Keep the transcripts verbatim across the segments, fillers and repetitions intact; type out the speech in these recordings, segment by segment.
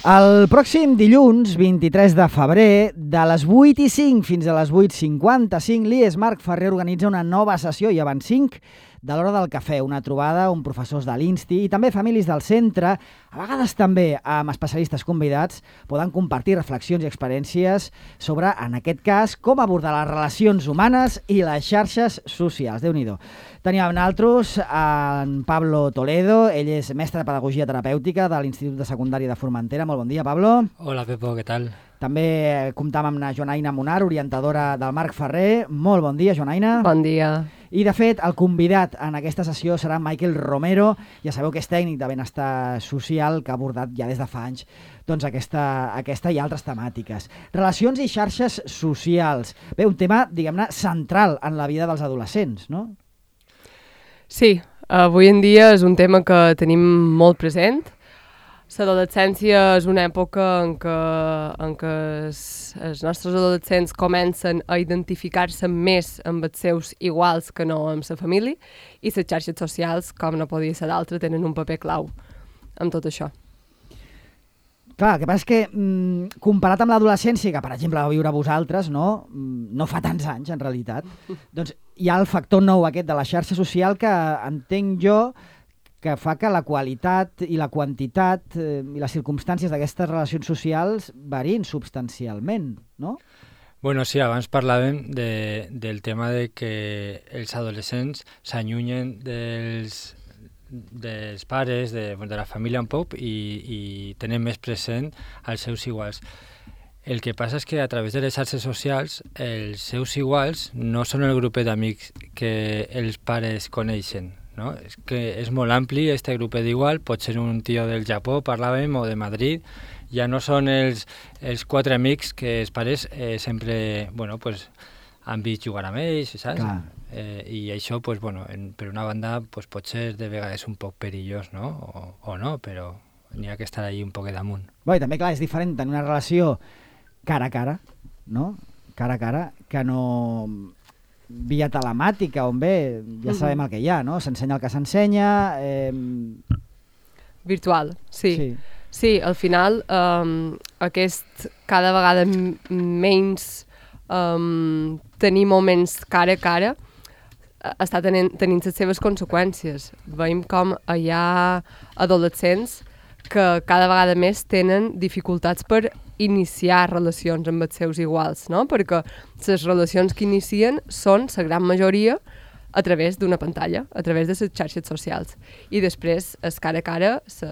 El pròxim dilluns, vint-i-tres de febrer, de les vuit i cinc fins a les vuit cinquanta-cinc, l'I E S Marc Ferrer organitza una nova sessió i abans cinc de l'hora del cafè, una trobada amb professors de l'I N S T I i també famílies del centre, a vegades també amb especialistes convidats, poden compartir reflexions i experiències sobre, en aquest cas, com abordar les relacions humanes i les xarxes socials. Déu-n'hi-do. Tenim amb nosaltres en Pablo Toledo, ell és mestre de Pedagogia Terapèutica de l'Institut de Secundària de Formentera. Molt bon dia, Pablo. Hola, Pepo, què tal? També comptam amb la Joanaina Munar, orientadora del Marc Ferrer. Molt bon dia, Joanaina. Bon dia. I, de fet, el convidat en aquesta sessió serà Michael Romero. Ja sabeu que és tècnic de benestar social, que ha abordat ja des de fa anys doncs, aquesta, aquesta i altres temàtiques. Relacions i xarxes socials. Bé, un tema, diguem-ne, central en la vida dels adolescents, no? Sí, avui en dia és un tema que tenim molt present. L'adolescència és una època en què, en què els, els nostres adolescents comencen a identificar-se més amb els seus iguals que no amb la família, i les xarxes socials, com no podia ser d'altre, tenen un paper clau en tot això. Clar, el que passa és que, mm, comparat amb l'adolescència, que per exemple va viure vosaltres, no, no fa tants anys en realitat, doncs hi ha el factor nou aquest de la xarxa social que entenc jo que fa que la qualitat i la quantitat eh, i les circumstàncies d'aquestes relacions socials varien substancialment, no? Bueno, sí, abans parlàvem de, del tema de que els adolescents s'allunyen dels, dels pares, de, de la família un poc, i, i tenen més present els seus iguals. El que passa és que a través de les xarxes socials els seus iguals no són el grupet d'amics que els pares coneixen, no? És que és molt ampli, este grupet d'igual, pot ser un tio del Japó, parlàvem, o de Madrid, ja no són els, els quatre amics que els pares eh, sempre, bueno, pues, han vist jugar amb ells, saps? Eh, I això, pues, bueno, en, per una banda, pues, pot ser de vegades un poc perillós, no? O, o no, però n'hi ha que estar allí un poc damunt. Bé, i també, clar, és diferent tenir una relació cara a cara, no? Cara a cara, que no via telemàtica, on bé, ja sabem el que hi ha, no? S'ensenya el que s'ensenya... Eh... Virtual, sí. Sí, sí al final, um, aquest cada vegada menys um, tenir moments cara a cara està tenint, tenint les seves conseqüències. Veiem com hi ha adolescents que cada vegada més tenen dificultats per iniciar relacions amb els seus iguals, no? Perquè les relacions que inicien són, la gran majoria, a través d'una pantalla, a través de les xarxes socials. I després, es cara a cara, se,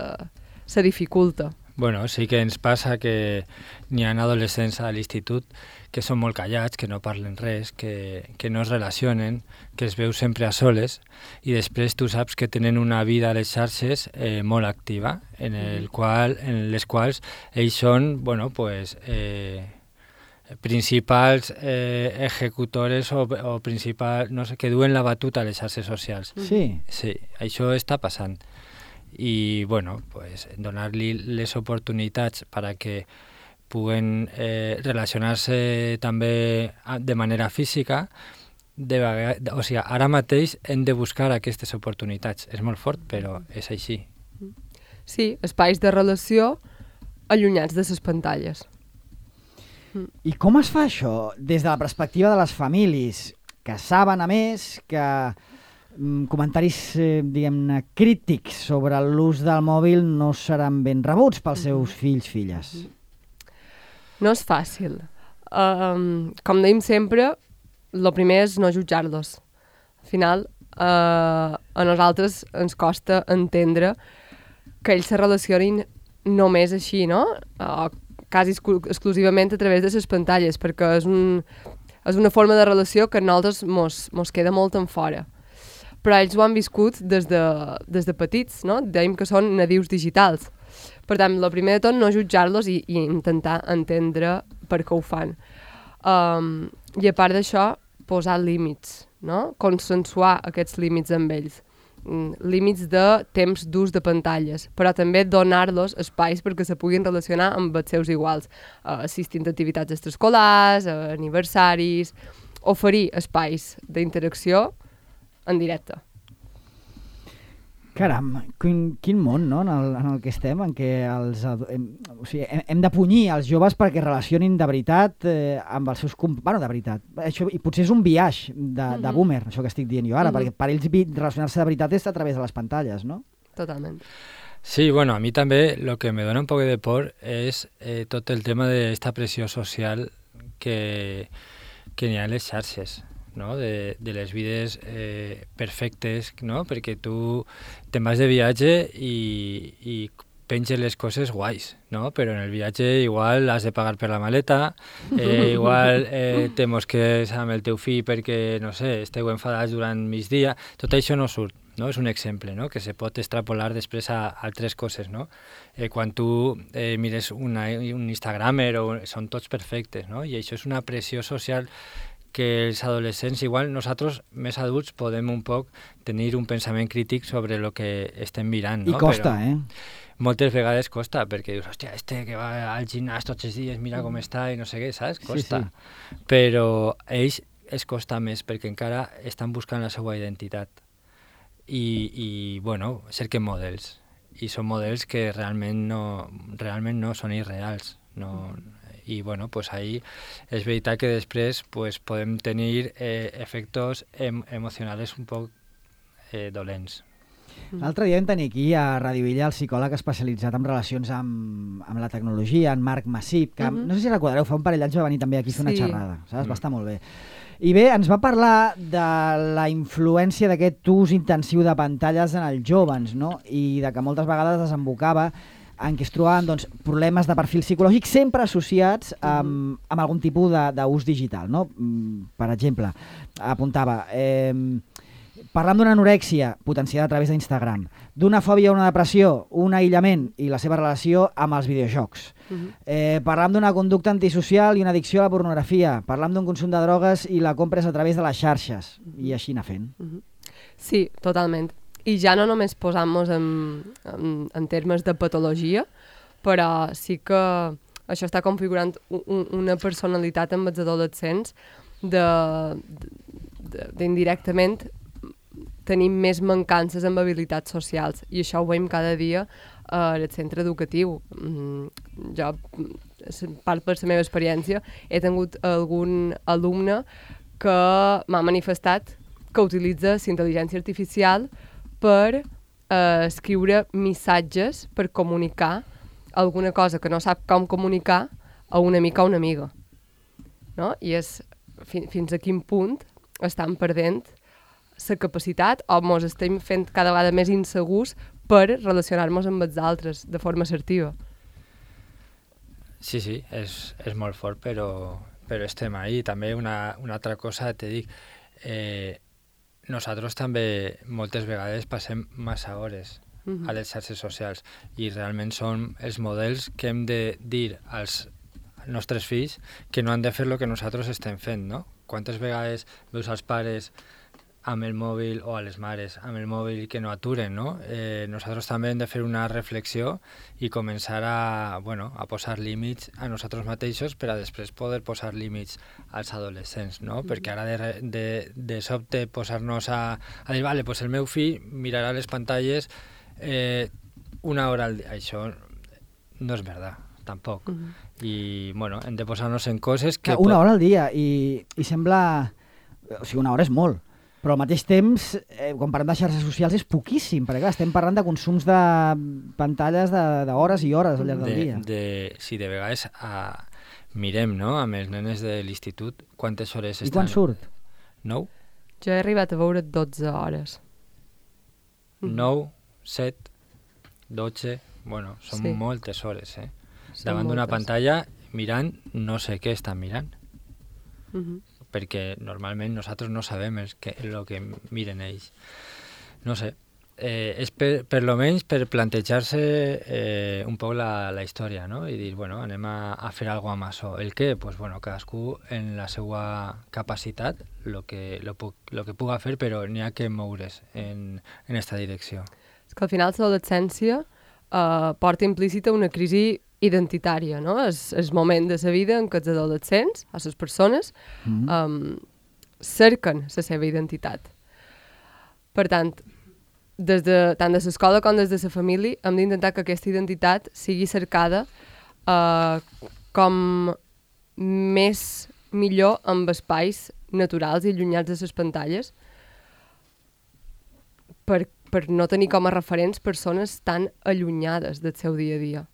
se dificulta. Bueno, sí que ens passa que n'hi ha adolescents a l'institut que són molt callats, que no parlen res, que, que no es relacionen, que es veu sempre a soles, i després tu saps que tenen una vida a les xarxes eh, molt activa, en, el qual, en les quals ells són, bueno, pues, eh, principals eh, ejecutores o, o principals, no sé, que duen la batuta a les xarxes socials. sí. Sí, això està passant. I, bueno, pues, donar-li les oportunitats perquè puguen eh, relacionar-se també de manera física, de vegades, o sigui, ara mateix hem de buscar aquestes oportunitats. És molt fort, però és així. Sí, espais de relació allunyats de les pantalles. I com es fa això des de la perspectiva de les famílies, que saben, a més, que comentaris, eh, diguem-ne, crítics sobre l'ús del mòbil no seran ben rebuts pels seus fills, filles? No és fàcil. Um, com dèiem sempre, el primer és no jutjar-los. Al final, uh, a nosaltres ens costa entendre que ells se relacionin només així, no? Uh, quasi exclusivament a través de les pantalles, perquè és, un, és una forma de relació que a nosaltres mos, mos queda molt en fora. Però ells ho han viscut des de, des de petits, no? Dèiem que són nadius digitals. Per tant, el primer de tot, no jutjar-los i, i intentar entendre per què ho fan. Um, I a part d'això, posar límits, no? Consensuar aquests límits amb ells. Mm, límits de temps d'ús de pantalles, però també donar-los espais perquè se puguin relacionar amb els seus iguals, uh, assistint a activitats extraescolars, a aniversaris, oferir espais d'interacció en directe. Caram, quin, quin món, no?, en el, en el que estem, en què els, hem, o sigui, hem, hem de punyir els joves perquè relacionin de veritat eh, amb els seus... Comp... Bueno, de veritat. Això, i potser és un biaix de, mm-hmm. de boomer, això que estic dient jo ara, mm-hmm. perquè per ells relacionar-se de veritat és a través de les pantalles, no? Totalment. Sí, bueno, a mí también lo que me dona un poco de por es eh, tot el tema de esta pressió social que, que n'hi ha a les xarxes, no? De, de les vides eh, perfectes, no? Perquè tu te'n vas de viatge i, i penges les coses guais, no? Però en el viatge igual has de pagar per la maleta, eh, igual eh, te mosques amb el teu fill perquè, no sé, esteu enfadats durant migdia, tot això no surt. No? És un exemple, no? Que se pot extrapolar després a, a altres coses, no? Eh, quan tu eh, mires una, un Instagramer, o, són tots perfectes, no? I això és una pressió social que els adolescents, igual nosaltres més adults, podem un poc tenir un pensament crític sobre el que estem mirant, no? I costa, Però eh? Moltes vegades costa, perquè dius, hòstia, este que va al gimnàs tots els dies, mira com està i no sé què, saps? Costa. Sí, sí. Però a ells es costa més perquè encara estan buscant la seva identitat. I, i bueno, cerquen models i són models que realment no, realment no són irreals, no, i bueno, pues ahí és veritat que després pues, podem tenir eh, efectes em, emocionals un poc eh, dolents. L'altre dia vam tenir aquí a Ràdio Illa el psicòleg especialitzat en relacions amb, amb la tecnologia, en Marc Massip, que uh-huh. no sé si recordareu, fa un parell d'anys va venir també aquí a fer una sí. xerrada, saps? Va estar molt bé. I bé, ens va parlar de la influència d'aquest ús intensiu de pantalles en els jóvens, no? I de que moltes vegades desembocava en què es trobaven doncs, problemes de perfil psicològic sempre associats amb, amb algun tipus d'ús digital, no? Per exemple, apuntava... Eh, parlant d'una anorèxia potenciada a través d'Instagram, d'una fòbia o una depressió, un aïllament i la seva relació amb els videojocs. Uh-huh. Eh, parlant d'una conducta antisocial i una addicció a la pornografia. Parlant d'un consum de drogues i la compres a través de les xarxes. Uh-huh. I així anar fent. Uh-huh. Sí, totalment. I ja no només posant-nos en, en, en termes de patologia, però sí que això està configurant un, una personalitat amb els adolescents de, de, d'indirectament tenim més mancances amb habilitats socials i això ho veiem cada dia uh, al centre educatiu. Mm, jo, part per la meva experiència, he tingut algun alumne que m'ha manifestat que utilitza la intel·ligència artificial per uh, escriure missatges per comunicar alguna cosa que no sap com comunicar a un amic o una amiga. No? I és fi, fins a quin punt estan perdent la capacitat o ens estem fent cada vegada més insegurs per relacionar-nos amb els altres de forma assertiva. Sí, sí, és, és molt fort, però, però estem ahí. També una, una altra cosa, te dic, eh, nosaltres també moltes vegades passem massa hores uh-huh. a les xarxes socials i realment són els models que hem de dir als nostres fills que no han de fer el que nosaltres estem fent, no? Quantes vegades veus als pares amb el mòbil, o a les mares, amb el mòbil que no aturen, no? Eh, nosaltres també hem de fer una reflexió i començar a, bueno, a posar límits a nosaltres mateixos per a després poder posar límits als adolescents, no? Mm-hmm. Perquè ara de, de, de sobte posar-nos a, a dir, vale, pues el meu fill mirarà les pantalles eh, una hora al dia. Això no és veritat, tampoc. Mm-hmm. I, bueno, hem de posar-nos en coses que... Una hora al dia, i, i sembla... O sigui, una hora és molt. Però al mateix temps, eh, quan parlem de xarxes socials, és poquíssim, perquè clar, estem parlant de consums de pantalles d'hores i hores al llarg del de, dia. De, sí, de vegades a, mirem, no?, amb els nenes de l'institut, quantes hores estan... I quan surt? Nou? Jo he arribat a veure dotze hores. Nou, set, dotze... Bueno, són sí. moltes hores, eh? Són davant d'una pantalla, mirant, no sé què estan mirant. Uh-huh. Perquè normalment nosaltres no sabem el que, el que miren ells. No sé, eh, és per, per lo menys per plantejar-se eh, un poc la, la història, no? I dir, bueno, anem a, a fer alguna cosa amb això. El què? Pues, bueno, cadascú en la seva capacitat, lo que, lo, lo que puga fer, però n'hi ha que moure's en, en esta direcció. És que al final l'adolescència eh, porta implícita una crisi identitària, no? És el moment de la vida en què els adolescents, o les persones, mm-hmm. um, cerquen la seva identitat. Per tant, des de, tant de l'escola com des de la família, hem d'intentar que aquesta identitat sigui cercada uh, com més millor amb espais naturals i allunyats de les pantalles per, per no tenir com a referents persones tan allunyades del seu dia a dia.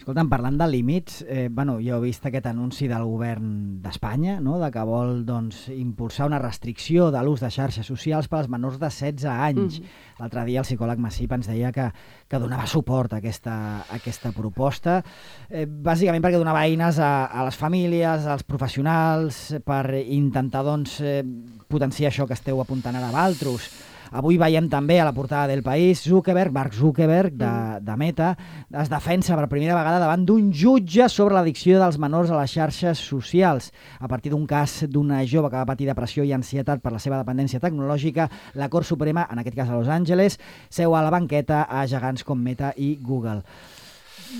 Escolta'm, parlant de límits, eh, bueno, jo he vist aquest anunci del govern d'Espanya, no?, de que vol doncs, impulsar una restricció de l'ús de xarxes socials per als menors de setze anys. Mm -hmm. L'altre dia el psicòleg Massip ens deia que, que donava suport a aquesta, a aquesta proposta, eh, bàsicament perquè donava eines a, a les famílies, als professionals, per intentar doncs, eh, potenciar això que esteu apuntant ara a Valtros. Avui veiem també a la portada del País Zuckerberg, Mark Zuckerberg, de, de Meta, es defensa per primera vegada davant d'un jutge sobre l'addicció dels menors a les xarxes socials. A partir d'un cas d'una jove que va patir depressió i ansietat per la seva dependència tecnològica, la Cort Suprema, en aquest cas a Los Angeles, seu a la banqueta a gegants com Meta i Google.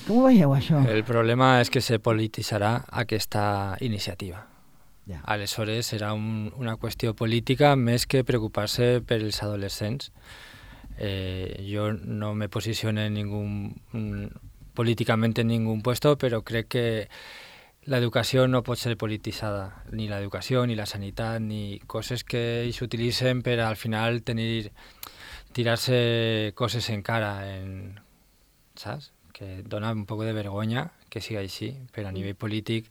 Com ho veieu, això? El problema és que se polititzarà aquesta iniciativa. Ja. Aleshores serà un, una qüestió política més que preocupar-se per els adolescents. Eh, jo no me posiciono en ningún, políticament en ningún puesto, però crec que l'educació no pot ser polititzada, ni l'educació, ni la sanitat, ni coses que s'utilitzen per al final tenir, tirar-se coses en cara, en, saps? Que dona un poc de vergonya que siga així, però a nivell polític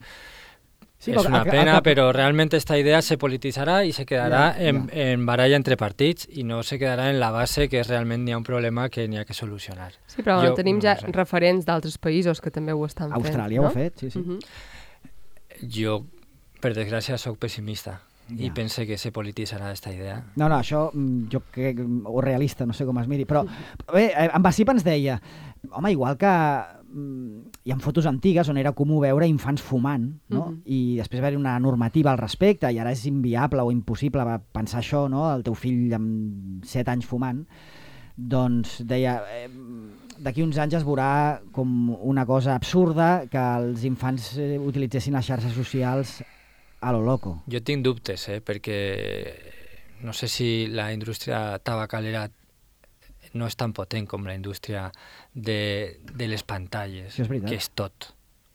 sí, és una pena, a, a, però realment aquesta idea se polititzarà i se quedarà ja, ja. En, en baralla entre partits i no se quedarà en la base que realment hi ha un problema que n'hi ha que solucionar. Sí, però jo, tenim ja no sé. referents d'altres països que també ho estan fent. Austràlia no? ho ha fet, sí, sí. Uh-huh. Jo, per desgràcia, sóc pessimista ja. i pense que se polititzarà aquesta idea. No, no, això jo crec, o realista, no sé com es miri, però bé, en Basip ens deia, home, igual que hi ha fotos antigues on era comú veure infants fumant, no? Uh-huh. I després va haver una normativa al respecte i ara és inviable o impossible pensar això, no? El teu fill amb set anys fumant, doncs deia, eh, d'aquí uns anys es veurà com una cosa absurda que els infants eh, utilitzessin les xarxes socials a lo loco. Jo tinc dubtes, eh, perquè no sé si la indústria tabacalera no és tan potent com la indústria de, de les pantalles, sí, és que és tot.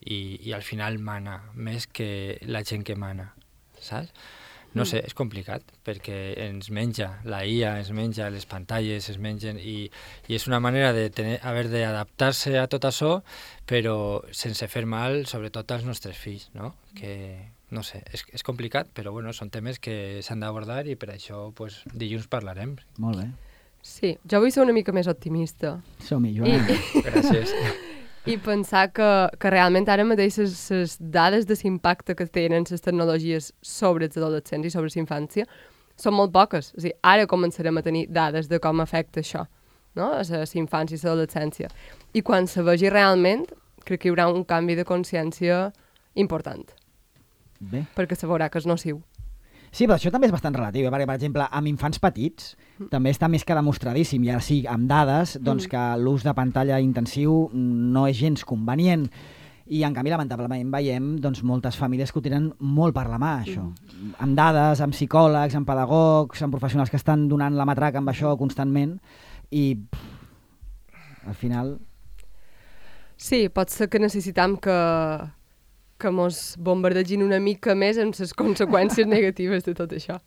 I, I al final mana, més que la gent que mana, saps? No sé, és complicat, perquè ens menja la I A, ens menja les pantalles, es mengen, i, i és una manera de tener, haver d'adaptar-se a tot això, però sense fer mal, sobretot als nostres fills, no? Que, no sé, és, és complicat, però bueno, són temes que s'han d'abordar i per això pues, dilluns parlarem. Molt bé. Sí, jo vull ser una mica més optimista. Som-hi, Joan. I, Gràcies. I pensar que, que realment ara mateix les dades de l'impacte que tenen les tecnologies sobre els adolescents i sobre la infància són molt poques. O sigui, ara començarem a tenir dades de com afecta això, no? A la infància i l'adolescència. I quan se vegi realment, crec que hi haurà un canvi de consciència important. Bé. Perquè se veurà que és nociu. Sí, però això també és bastant relatiu, perquè, per exemple, amb infants petits mm. també està més que demostradíssim, i ara sí, amb dades, doncs mm. que l'ús de pantalla intensiu no és gens convenient. I, en canvi, lamentablement, veiem doncs, moltes famílies que ho tenen molt per la mà, això. Mm. Amb dades, amb psicòlegs, amb pedagogs, amb professionals que estan donant la matraca amb això constantment, i pff, al final... Sí, pot ser que necessitam que... que mos bombardegin una mica més amb les conseqüències negatives de tot això.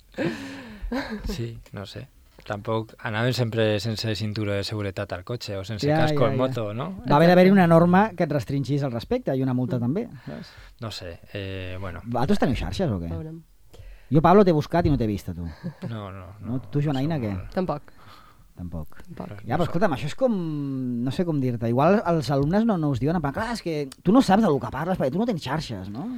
Sí, no sé. Tampoc anàvem sempre sense cinturó de seguretat al cotxe o sense ja, casco ja, al ja. moto, no? Va haver d'haver una norma que et restringís al respecte i una multa mm. també. Saps? No sé, eh, bueno. Vosaltres teniu xarxes o què? Veurem. Jo, Pablo, t'he buscat i no t'he vist, a tu. No, no. no, no tu, Joanaina, què? Tampoc. Tampoc. Tampoc. Ja, però escolta'm, això és com... No sé com dir-te. Igual els alumnes no, no us diuen, en plan, clar, és que tu no saps del que parles perquè tu no tens xarxes, no?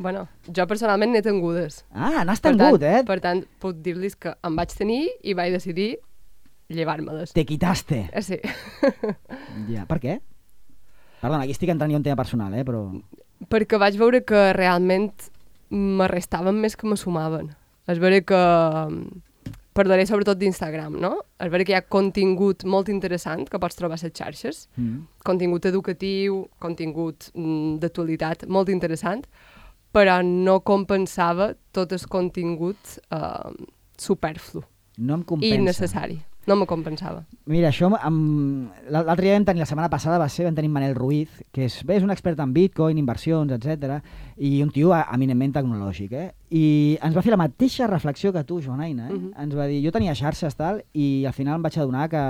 Bueno, jo personalment n'he tingudes. Ah, n'has tingut, eh? Per tant, puc dir-los que em vaig tenir i vaig decidir llevar-me-les. Te quitaste. Eh, sí. Ja, per què? Perdona, aquí estic entrant jo en tema personal, eh, però... Perquè vaig veure que realment m'arrestaven més que me sumaven. És veure que... Parlaré sobretot d'Instagram, no? És veure que hi ha contingut molt interessant que pots trobar a les xarxes, mm. contingut educatiu, contingut mm, d'actualitat molt interessant, però no compensava tot el contingut eh, superflu no em compensa. i innecessari. No me compensava. Mira, això, amb... l'altre dia vam tenir, la setmana passada va ser, vam tenir Manel Ruiz, que és, bé, és un expert en Bitcoin, inversions, etcètera, i un tio eminentment tecnològic, eh? I ens va fer la mateixa reflexió que tu, Joan Aina, eh? Uh-huh. Ens va dir, jo tenia xarxes, tal, i al final em vaig adonar que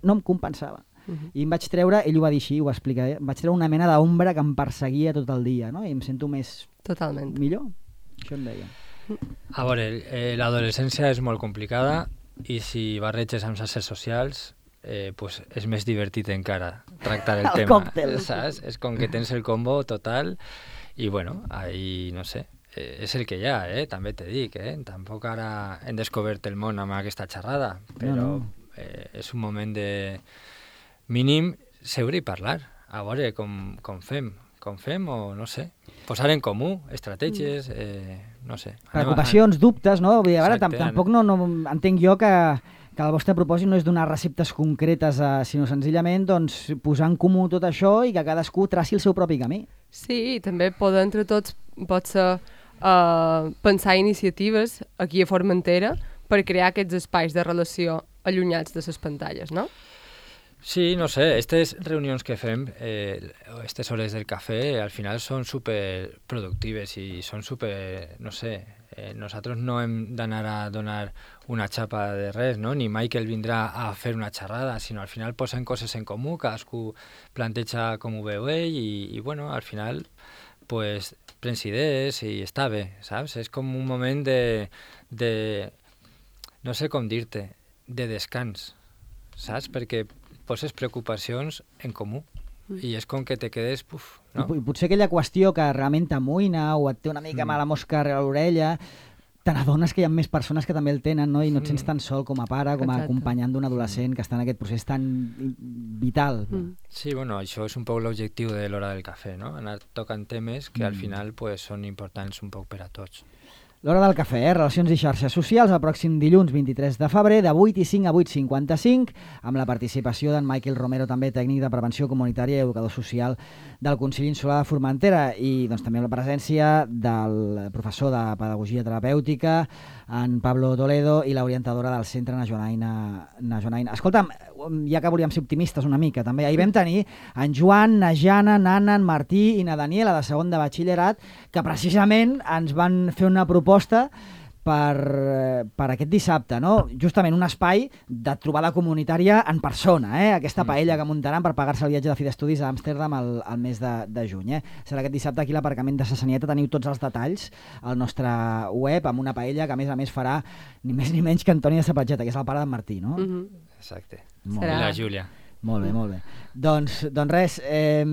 no em compensava. Uh-huh. I em vaig treure, ell ho va dir així, ho va explicar, eh? Em vaig treure una mena d'ombra que em perseguia tot el dia, no? I em sento més... Totalment. Millor. Això em deia. A veure, eh, l'adolescència és molt complicada, i si barreges amb xarxes socials, eh, pues és més divertit encara tractar el, el tema. Còctel. Saps? És com que tens el combo total i bueno, ahí no sé, eh, és el que hi ha, eh? També te dic, eh? Tampoc ara hem descobert el món amb aquesta xerrada, però no, no. Eh, és un moment de mínim seure i parlar, a veure com, com fem. Com fem o no sé, posar en comú estratègies, eh, no sé. Preocupacions, dubtes, no? Vull dir, a veure, Exacte, tampoc no, no entenc jo que, que el vostre propòsit no és donar receptes concretes, eh, sinó senzillament doncs, posar en comú tot això i que cadascú traci el seu propi camí. Sí, i també poder entre tots pot ser uh, pensar iniciatives aquí a Formentera per crear aquests espais de relació allunyats de les pantalles, no? Sí, no sé, aquestes reunions que fem, eh, aquestes hores del cafè, al final són super productives i són super, no sé, eh, nosaltres no hem d'anar a donar una xapa de res, no? Ni Michael vindrà a fer una xerrada, sinó al final posen coses en comú, cadascú planteja com ho veu ell i, i bueno, al final pues, prens idees i està bé, saps? És com un moment de, de no sé com dir-te, de descans, saps? Perquè poses preocupacions en comú i és com que te quedes... Puf, no? I potser aquella qüestió que realment t'amoïna o et té una mica mm. mala mosca a l'orella, te n'adones que hi ha més persones que també el tenen, no? I no et sents tan sol com a pare, com a Exacte. acompanyant d'un adolescent que està en aquest procés tan vital. Mm. Sí, bueno, això és un poc l'objectiu de l'hora del cafè, no? Anar tocant temes que mm. al final pues, són importants un poc per a tots. L'hora del cafè, eh? Relacions i xarxes socials, el pròxim dilluns vint-i-tres de febrer, de vuit i cinc a vuit cinquanta-cinc, amb la participació d'en Michael Romero, també tècnic de prevenció comunitària i educador social del Consell Insular de Formentera, i doncs, també amb la presència del professor de Pedagogia Terapèutica, en Pablo Toledo, i l'orientadora del Centre na Joanaina. Na Joanaina. Escolta'm, ja que volíem ser optimistes una mica, també, ahir vam tenir en Joan, na Jana, Nana, en Martí i na Daniela, de segon de batxillerat, que precisament ens van fer una proposta per, per aquest dissabte, no? Justament un espai de trobada comunitària en persona, eh? Aquesta paella que muntaran per pagar-se el viatge de fi d'estudis a Amsterdam el, el mes de, de juny. Eh? Serà aquest dissabte aquí a l'aparcament de Sassanieta, teniu tots els detalls al nostre web, amb una paella que a més a més farà ni més ni menys que Antoni de Sapatgeta, que és el pare d'en Martí, no? Mm-hmm. Exacte. Serà... I la Júlia. Molt bé, molt bé. Doncs, doncs res, eh,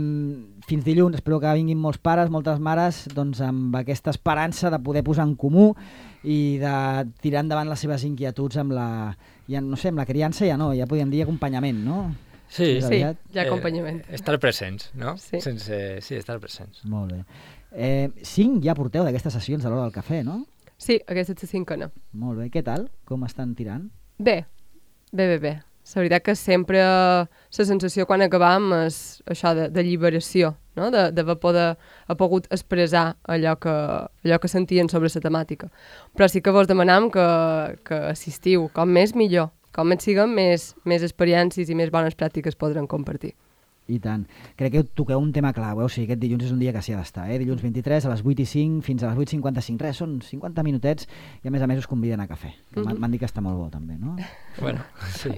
fins dilluns, espero que vinguin molts pares, moltes mares, doncs amb aquesta esperança de poder posar en comú i de tirar endavant les seves inquietuds amb la, ja, no sé, amb la criança ja no, ja podríem dir acompanyament, no? Sí, sí, hi ha acompanyament. Eh, estar presents, no? Sí. Sense, sí, estar presents. Molt bé. Eh, cinc ja porteu d'aquestes sessions a l'hora del cafè, no? Sí, aquesta és la cinquena. Molt bé. Què tal? Com estan tirant? Bé, bé, bé, bé. La veritat que sempre la sensació quan acabam és això de, de lliberació, no? De, de poder ha pogut expressar allò que, allò que sentien sobre la temàtica. Però sí que vos demanam que, que assistiu, com més millor, com més siguem, més, més experiències i més bones pràctiques podran compartir. I tant. Crec que toqueu un tema clau, eh? O sigui, aquest dilluns és un dia que s'hi ha d'estar, eh? Dilluns vint-i-tres a les vuit i cinc fins a les vuit cinquanta-cinc. Res, són cinquanta minutets i a més a més us conviden a cafè. Mm-hmm. M'han dit que està molt bo també, no? Bueno, sí.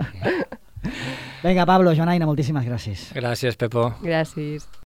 Vinga, Pablo, Joanaina, moltíssimes gràcies. Gràcies, Pepo. Gràcies.